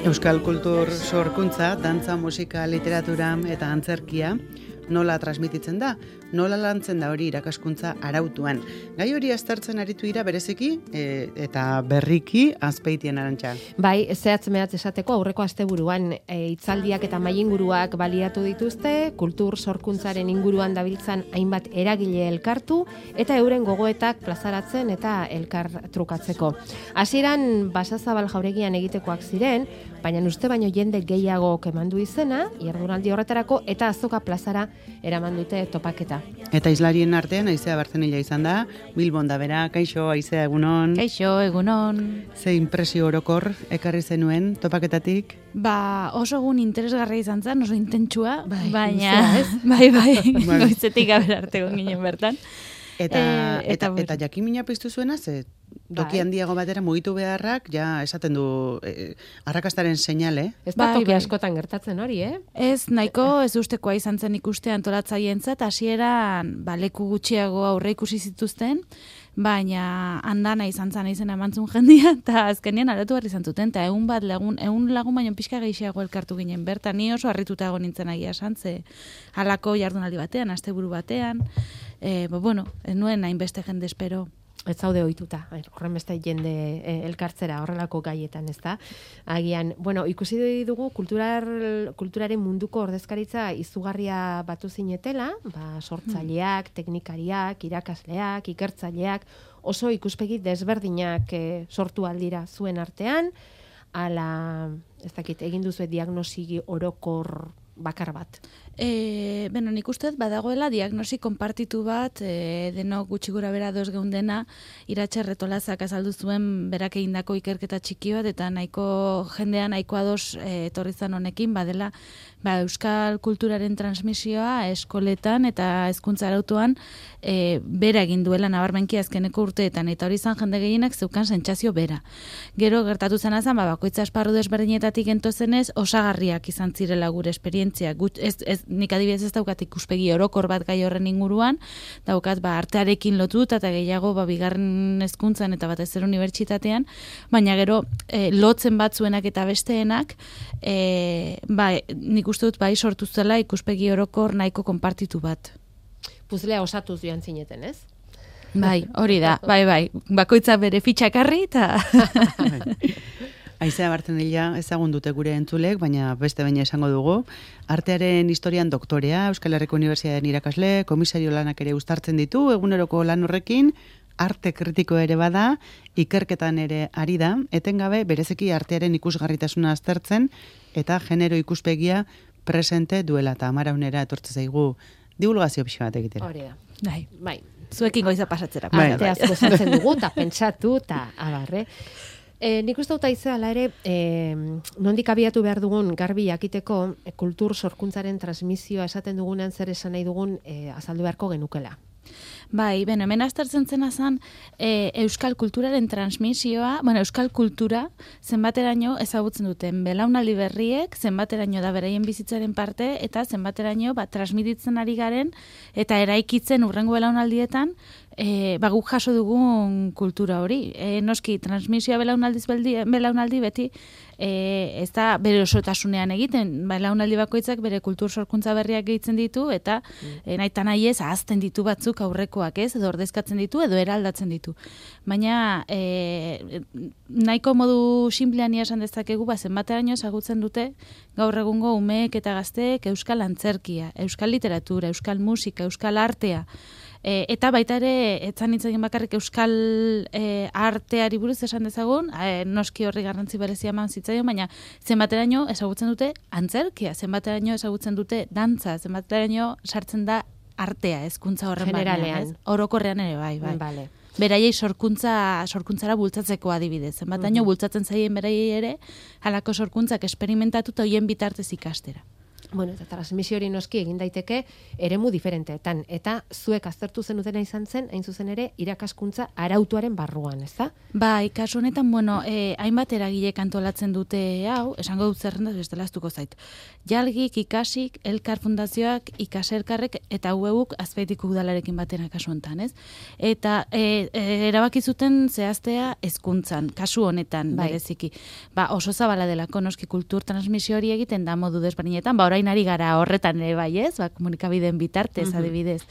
Euskal kultur sorkuntza, dantza, musika, literatura eta antzerkia nola transmititzen da, nola lantzen da hori irakaskuntza arautuan. Gai hori aztertzen aritu dira bereziki eta berriki Azpeitien Arantxa. Bai, zehatz mehatz esateko aurreko asteburuan hitzaldiak eta mahai-inguruak baliatu dituzte, kultur sorkuntzaren inguruan dabiltzan hainbat eragile elkartu eta euren gogoetak plazaratzen eta elkar trukatzeko. Hasieran Basazabal jauregian egitekoak ziren, baina uste baino jende gehiago emandu izena, jardunaldi horretarako eta Azoka plazara eraman dute topaketa. Eta islarien artean Aizea Bartzenilla izan da, Bilbon da bera, kaixo Aizea egunon. Kaixo egunon. Ze impresio orokor ekarri zenuen topaketatik? Oso egun interesgarria izan zen, oso intentsua, baina luzea, ez? bai, goizetik gabera arte ginen bertan. Eta jakimina piztu zuena, ze toki handiago batera mugitu beharrak, ja esaten du arrakastaren seinale. Ez da toki askotan gertatzen hori, Ez, nahiko ez ustekoa izan zen ikuste antolatzaientzat, hasieran leku gutxiago aurre ikusi zituzten, baina andana izan zen izena emantzun jendia, eta azkenean aldatu behar izan zuten, eta egun lagun baino pixka gehiago elkartu ginen bertan, ni oso harrituta egon nintzen agia esan, ze halako jardunaldi batean, asteburu batean, ez nuen hainbeste jende espero. Ez zaude ohituta, horren beste jende elkartzera horrelako gaietan, ez da? Agian, ikusi dugu kulturaren munduko ordezkaritza izugarria batu zinetela, sortzaileak, teknikariak, irakasleak, ikertzaileak, oso ikuspegi desberdinak sortu aldira zuen artean, ala, ez dakit, egin duzu diagnosi orokor bakar bat. Nik uste badagoela diagnosi konpartitu bat, denok gutxi gura bera doz geundena, Iratxe Retolazak azaldu zuen berak egindako ikerketa txiki bat, eta jendean nahiko ados etorri zan honekin, badela euskal kulturaren transmisioa eskoletan eta hezkuntza arautuan bera egin duela nabarmenki azkeneko urteetan, eta hori zan jende gehienak zeukan sentsazio bera. Gero gertatu zen azan, bakoitza esparru desberdinetatik entozenez, osagarriak izan zirela gure esperientziak. Nik adibidez ez daukat ikuspegi orokor bat gai horren inguruan, daukat artearekin lotuta eta gehiago bigarren hezkuntzan eta batez ere unibertsitatean, baina gero lotzen batzuenak eta besteenak, nik uste dut sortu zela ikuspegi orokor nahiko konpartitu bat. Puzlea osatuz joan zineten, ez? Bai, hori da, bai, bakoitza bere fitxakarri eta... Aizea Bartzenilla ezagun dute gure entzulek, baina beste baina esango dugu. Artearen historian doktorea, Euskal Herriko Unibertsitatean irakasle, komisario lanak ere uztartzen ditu, eguneroko lan horrekin, arte kritiko ere bada, ikerketan ere ari da, etengabe berezeki artearen ikusgarritasuna aztertzen, eta genero ikuspegia presente duela, eta amaraunera etortze zaigu divulgazio pixka bat egitera. Hori da. Bai. Zuekin goiza pasatzera. Arteaz gozatzen dugu, eta pentsatu, eta abarre. Nik uste dut Aizea ere, nondik abiatu behar dugun garbi jakiteko kultur sorkuntzaren transmisioa esaten dugunean zer esan nahi dugun azaldu beharko genukela. Bai, hemen aztertzen zena zen euskal kulturaren transmisioa, euskal kultura zenbateraino ezagutzen duten belaunaldi berriek, zenbateraino da beraien bizitzaren parte, eta zenbateraino transmititzen ari garen, eta eraikitzen urrengo belaunaldietan, guk jaso dugun kultura hori. Noski, transmisioa belaunaldi beti ez da bere osotasunean egiten, belaunaldi bakoitzak bere kultur sorkuntza berriak gehitzen ditu, eta nahi nahi ez ahazten ditu batzuk aurrekoak, ez, edo ordezkatzen ditu, edo eraldatzen ditu. Baina nahiko modu sinplean esan dezakegu, zenbateraino ezagutzen dute gaur egungo umeek eta gazteek euskal antzerkia, euskal literatura, euskal musika, euskal artea, eta baita ere, etzan nintzen bakarrik euskal arteari buruz esan dezagun, noski horri garrantzi berezia eman zitzaion, baina zenbateraino ezagutzen dute antzerkia, zenbateraino ezagutzen dute dantza, zenbateraino sartzen da artea, hezkuntza horren generalean. Orokorrean ere, bai. Vale. Beraiei sorkuntzara bultzatzeko adibidez. Zenbataino bultzatzen zaien beraiei ere, halako sorkuntzak esperimentatu eta hoien bitartez ikastera. Bueno, eta transmisio hori noski egin daiteke eremu diferenteetan. Eta zuek aztertu zenutena izan zen, hain zuzen ere, irakaskuntza arautuaren barruan, ezta? Bai, kasu honetan, bueno, hainbat eragilek antolatzen dute hau, esango dut zerrenda, bestela astuko zait. Jalgik, Ikasik, Elkar Fundazioak, Ikaserkarrek eta UEUk Azpeitiko udalarekin batera kasu honetan, ez? Eta erabaki zuten zehaztea hezkuntzan, kasu honetan, bereziki. Ba, oso zabala delako noski kultur transmisio hori egiten da modu desberdinetan, ba, orain ari gara horretan ere bai, ez? Ba, komunikabideen bitartez, adibidez.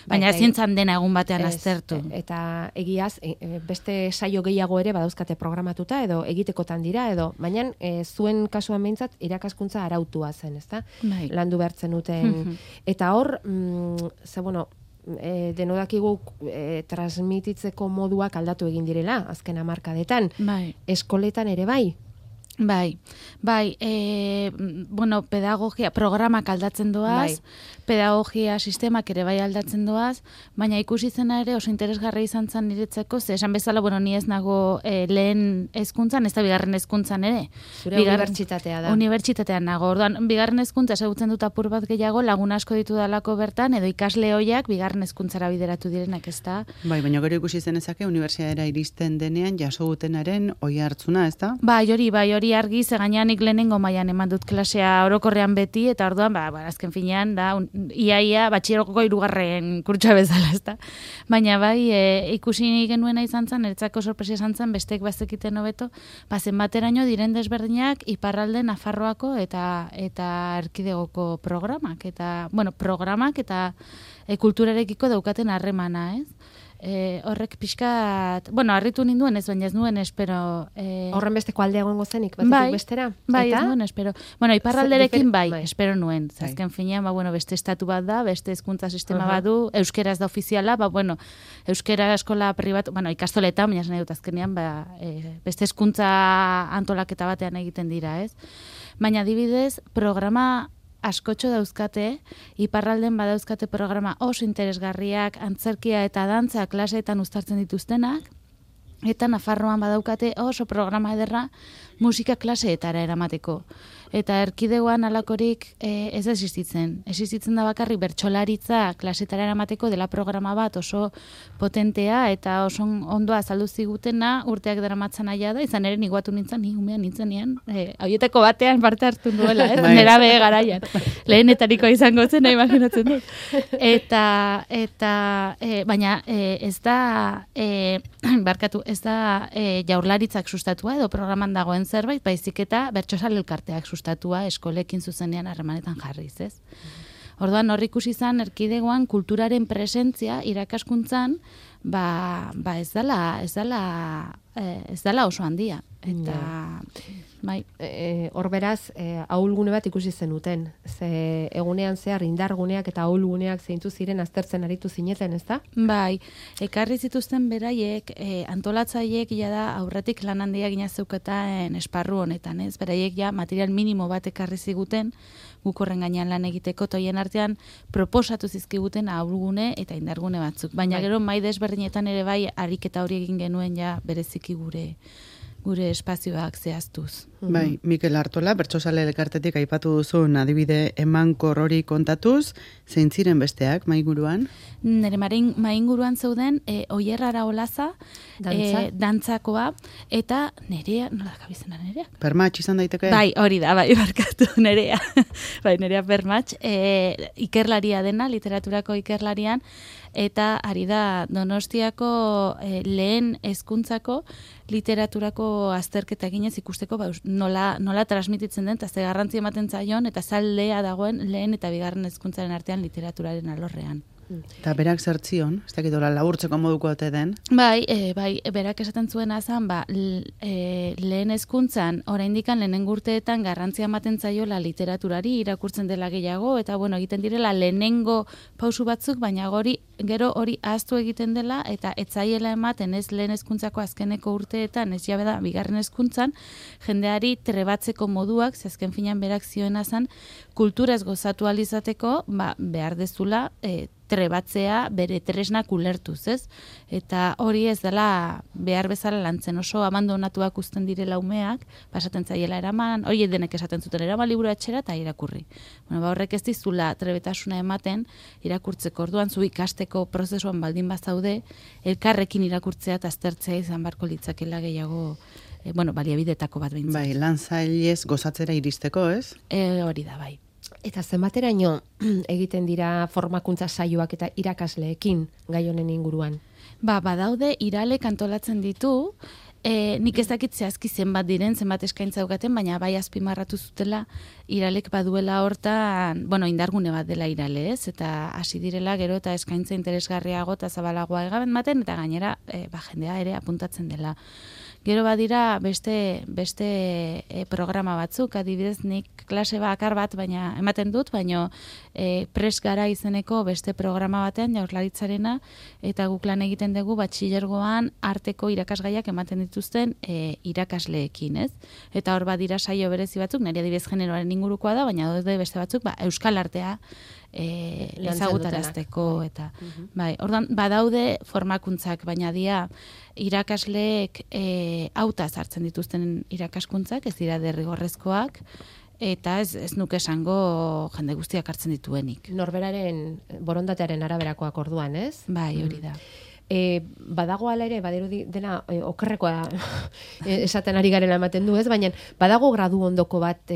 Baina zientzan dena egun batean aztertu. Eta egiaz, beste saio gehiago ere badauzkate programatuta edo egitekotan dira edo, baina zuen kasuan behintzat irakaskuntza arautua zen, ezta? Bai. Landu behartzen duten. Eta hor, denodakigu transmititzeko moduak aldatu egin direla, azken hamarkadetan. Bai. Eskoletan ere bai. Bai, bueno, pedagogia, programak aldatzen doaz, pedagogia sistemak ere bai aldatzen doaz, baina ikusi zena ere oso interesgarria izan zen niretzako, ze esan bezala, bueno, ni ez nago lehen hezkuntzan, ez da bigarren hezkuntzan ere. Zure unibertsitatea da. Unibertsitatean nago, orduan, bigarren hezkuntza ezagutzen dut apur bat gehiago, lagun asko ditu dalako bertan, edo ikasle hoiak bigarren hezkuntzara bideratu direnak, ez da? Bai, baina gero ikusi zenezake unibertsitatera iristen denean jaso dutenaren oi hartzuna, ez da? Bai, hori argi, ze gaineanik lehenengo mailan eman dut klasea orokorrean beti, eta orduan, azken finean, da, iaia, batxierokoko 3. kurtsoa bezala, ezta. Baina bai, ikusi genuena izan zen, eretzako sorpresa izan zen, besteek bazekiten hobeto, zenbateraino diren desberdinak iparralde Nafarroako eta erkidegoko programak, eta kulturarekiko daukaten harremana, ez? Horrek pixkat, bueno, harritu ninduen ez, baina ez nuen espero... Horren besteko aldea egongo zenik, batetik bestera? Bai, ez nuen espero. Bueno, iparralderekin espero nuen. Azken finean, beste estatu bat da, beste hezkuntza sistema bat du, euskeraz da ofiziala, euskera eskola pribatu, ikastoletan, baina nahi dut azkenean, beste hezkuntza antolaketa batean egiten dira, ez? Baina adibidez, programa askotxo dauzkate, iparralden badauzkate programa oso interesgarriak, antzerkia eta dantza klaseetan uztartzen dituztenak, eta Nafarroan badaukate oso programa ederra musika klaseetara eramateko. Eta erkidegoan alakorik ez existitzen. Existitzen da bakarrik bertsolaritza klasetara eramateko dela programa bat oso potentea eta oso ondo azaldu zigutena urteak daramatzan aia da, izan ere niguatu nintzen, ni umean nintzenean, hauietako batean parte hartu duela, nerabe garaian. Lehenetariko izango zen, imaginatzen dut. Baina ez da, ez da jaurlaritzak sustatua edo programan dagoen zerbait, baizik eta bertsozale elkarteak sustatua eskolekin zuzenean harremanetan jarriz, ez? Orduan hor ikusi izan erkidegoan kulturaren presentzia irakaskuntzan ez dela oso handia. Eta bai, hor beraz, ahulgune bat ikusi zenuten. Ze egunean zehar indarguneak eta ahulguneak zeintu ziren aztertzen aritu zineten, ezta? Bai, ekarri zituzten beraiek, antolatzaileek da aurretik lan handia gina zeuketen esparru honetan, ez? Beraiek material minimo bat ekarri ziguten, guk horren gainean lan egiteko, toien artean proposatu zizkiguten ahulgune eta indargune batzuk. Baina gero mai desberdinetan ere bai ariketa hori egin genuen bereziki gure espazioak zehaztuz. Bai, Mikel Artola, bertsozale elkartetik aipatu duzun adibide emankor hori kontatuz, zein ziren besteak mainguruan? Nere mainguruan zeuden Oier Araolaza, dantzakoa, eta Nerea, nola kabizena Nerea? Permatx izan daiteke? Bai, hori da, bai, barkatu Nerea. Bai, Nerea Permatx, ikerlaria dena, literaturako ikerlarian, eta ari da Donostiako lehen hezkuntzako literaturako azterketa eginez ikusteko nola transmititzen den, eta ze garrantzi ematen zaion, eta zaldea dagoen lehen eta bigarren hezkuntzaren artean literaturaren alorrean. Eta berak zertzion, ez dakitola laburtzeko moduko ote den? Bai, berak esaten zuena zan, lehen hezkuntzan, oraindikan lehenengo urteetan garrantzia ematen zaiola literaturari, irakurtzen dela gehiago, eta egiten direla lehenengo pausu batzuk, baina gero hori ahaztu egiten dela, eta etzaiela ematen ez lehen hezkuntzako azkeneko urteetan, ez jabe da, bigarren hezkuntzan, jendeari trebatzeko moduak, azken finean berak zioena zan, kulturaz gozatu alizateko, behar dezula, trebatzea bere tresnak ulertuz, ez? Eta hori ez dela behar bezala lantzen, oso abandonatuak uzten direla umeak, pasaten zaiela eraman, hori denek esaten zuten eraman liburu etxera eta irakurri. Bueno, horrek ez dizula trebetasuna ematen irakurtzeko, orduan zu ikasteko prozesuan baldin bazaude, elkarrekin irakurtzea eta aztertzea izan barko litzakela gehiago, baliabidetako bat behintzat. Bai, lan zailez gozatzera iristeko, ez? Hori da, bai. Eta zenbateraino egiten dira formakuntza saioak eta irakasleekin gai honen inguruan? Badaude iralek antolatzen ditu, nik ez dakit zehazki zenbat diren, zenbat eskaintza daukaten, baina bai azpimarratu zutela iralek baduela hortan, indargune bat dela irale, ez? Eta hasi direla gero eta eskaintza interesgarriago eta zabalagoa ematen, eta gainera jendea ere apuntatzen dela. Gero badira beste programa batzuk, adibidez nik klase bakar bat baina ematen dut, baina pres gara izeneko beste programa batean Jaurlaritzarena, eta guk lan egiten dugu batxilergoan arteko irakasgaiak ematen dituzten irakasleekin, ez? Eta hor badira saio berezi batzuk, nire adibidez generoaren ingurukoa da, baina beste batzuk euskal artea ezagutarazteko eta bai, ordan badaude formakuntzak, baina irakasleek hautaz hartzen dituzten irakaskuntzak, ez dira derrigorrezkoak, eta ez nuke esango jende guztiak hartzen dituenik. Norberaren borondatearen araberakoak orduan, ez? Bai, hori da. Badago ala ere, badirudi dena okerrekoa esaten ari garela ematen du, ez? Baina badago gradu ondoko bat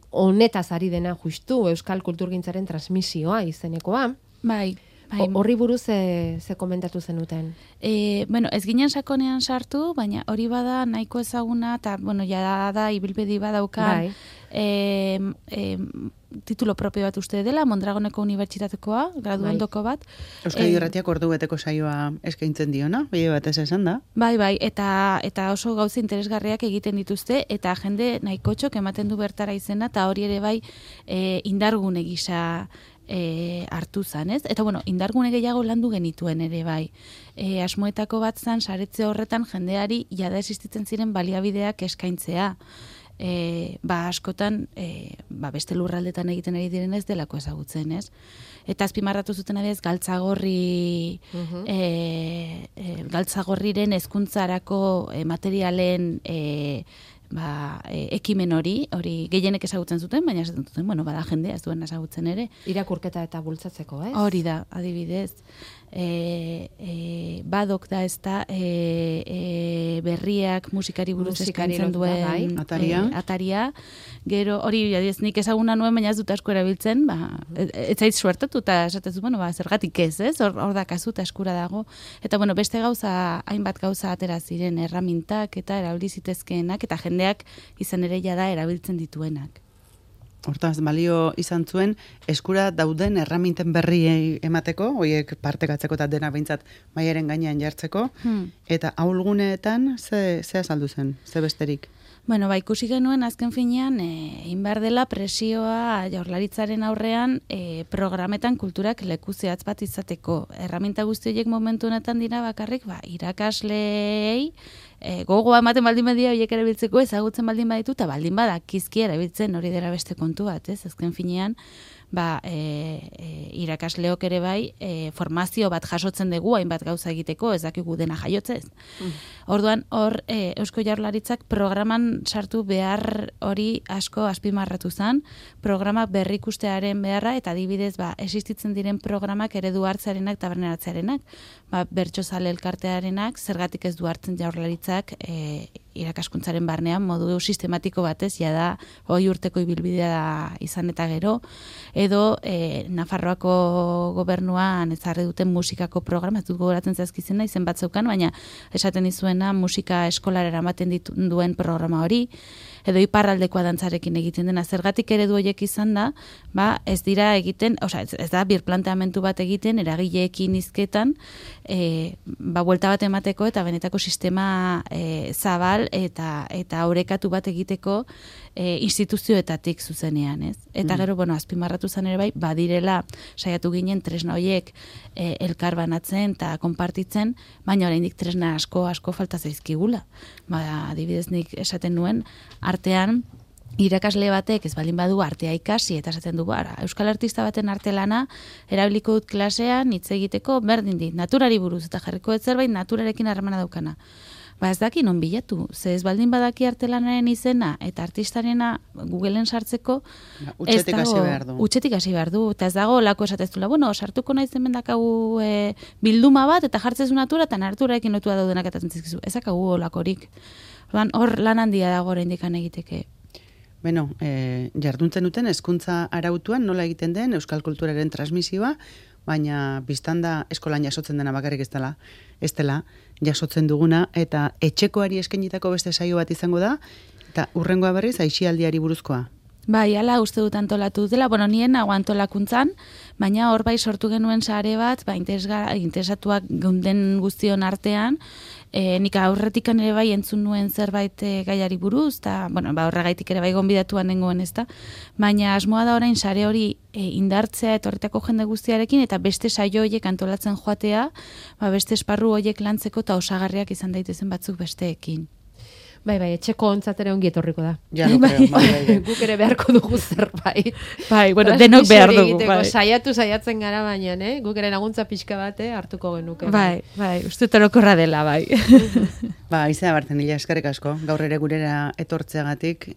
honetaz ari dena justu Euskal Kulturgintzaren transmisioa izenekoa. Bai. Horri buruz ze komentatu zenuten? Ez ginen sakonean sartu, baina hori bada nahiko ezaguna, eta ja da ibilbedi badaukan titulo propio bat uste dela, Mondragoneko Unibertsitatekoa, gradu ondoko bat. Euskadi Irratiak ordu beteko saioa eskaintzen diona, bide batez esan da. Bai, eta oso gauza interesgarriak egiten dituzte, eta jende nahiko txok ematen du bertara izena, eta hori ere bai indargune gisa hartu zan, ez? Eta indargune gehiago landu genituen ere bai. Asmoetako bat zan, saretze horretan jendeari jada existitzen ziren baliabideak eskaintzea. Askotan beste lurraldetan egiten ari diren ez delako ezagutzen, ez? Eta azpimarratu zuten adez galtzagorriren hezkuntzarako materialen ekimen hori gehienek ezagutzen zuten, baina esaten zuten, bada jendea ez duen ezagutzen ere. Irakurketa eta bultzatzeko, ez? Hori da, adibidez. Badok da ez da berriak musikari buruz eskaintzen duen ataria. Gero hori nik ezaguna nuen, baina ez dut asko erabiltzen, ez zait suertatu eta esatezu, zergatik ez, hor da kasu eta eskura dago. Eta beste hainbat gauza atera ziren erramintak eta erabilizitezkeenak eta jendeak izan ere jada erabiltzen dituenak. Hortaz, balio izan zuen, eskura dauden erraminten berri emateko, horiek partekatzeko eta dena behintzat maiaren gainean jartzeko, eta ahulguneetan ze azaldu zen, ze besterik? Ikusi genuen azken finean, inbar dela presioa Jaurlaritzaren aurrean programetan kulturak leku zehatz bat izateko. Erraminta guzti horiek momentu honetan dira bakarrik, irakasleei gogoa ematen baldin badia horiek erabiltzeko ezagutzen baldin baditu, eta baldin badakizki erabiltzen hori dela beste kontu bat, ez? Azken finean, irakasleok ere bai formazio bat jasotzen dugu hainbat gauza egiteko, ez dakigu dena jaiotzez. Orduan, hor Eusko Jaurlaritzak programan sartu behar hori asko azpimarratu zen, programa berrikustearen beharra, eta adibidez existitzen diren programak eredu hartzearenak eta barneratzearenak, bertsozale elkartearenak, zergatik ez du hartzen Jaurlaritzak irakaskuntzaren barnean modu sistematiko batez, jada 20 urteko ibilbidea izan eta gero, edo Nafarroako gobernuan ezarri duten musikako programa, ez dut gogoratzen zaizkizena, izen bat zeukan, baina esaten dizuena musika eskolara eramaten duen programa hori, edo iparraldekoa dantzarekin egiten dena, zergatik eredu horiek izan da, ez dira egiten, ez da birplanteamentu bat egiten, eragileekin hizketan, buelta bat emateko eta benetako sistema zabal eta orekatu bat egiteko instituzioetatik zuzenean, ez? Eta gero, azpimarratu zen ere bai, badirela saiatu ginen tresna horiek elkar banatzen eta konpartitzen, baina oraindik tresna asko falta zaizkigula. Adibidez nik esaten nuen, artean irakasle batek ez baldin badu artea ikasi eta esaten du bara, euskal artista baten artelana erabiliko dut klasean hitz egiteko berdin dit, naturari buruz eta jarriko dut zerbait naturarekin harremana daukana. Ba ez daki non bilatu, ze ez baldin badaki artelanaren izena eta artistarena Googleen sartzeko Utxetik hasi behar du. Utxetik hasi behar du, eta ez dago lako esateztula, bueno, sartuko naiz hemen dakagu bilduma bat eta jartzezu natura eta naturarekin lotua daudenak eta zentzizkizu. Ez dakagu olakorik. Hor lan handia dago oraindik egiteke. Beno, jarduntzen duten hezkuntza arautuan nola egiten den euskal kulturaren transmisioa, baina biztanda eskolan jasotzen dena bakarrik ez dela jasotzen duguna, eta etxekoari eskainitako beste saio bat izango da, eta hurrengoa berriz aisialdiari buruzkoa. Bai, ala uste dut antolatu dela, bueno, nien nago antolakuntzan, baina hor bai sortu genuen sare bat, interesatuak geunden guztion artean, nik aurretikan ere bai entzun nuen zerbait gaiari buruz, eta bueno, horregaitik ere bai gonbidatuan nengoen ezta, baina asmoa da orain sare hori indartzea etorritako jende guztiarekin, eta beste saio horiek antolatzen joatea, beste esparru horiek lantzeko eta osagarriak izan daitezen batzuk besteekin. Bai, etxeko ontzat ere ongi etorriko da. Ja, no creo, bai. Guk ere beharko dugu zerbait. Bai, bueno, denok behar dugu. Bai. Saiatzen gara baina, guk ere laguntza pixka bate hartuko genuke. Bai, uste torokorra dela, bai. Izena Bartzen, eskerrik asko, gaur ere gurera etortzeagatik,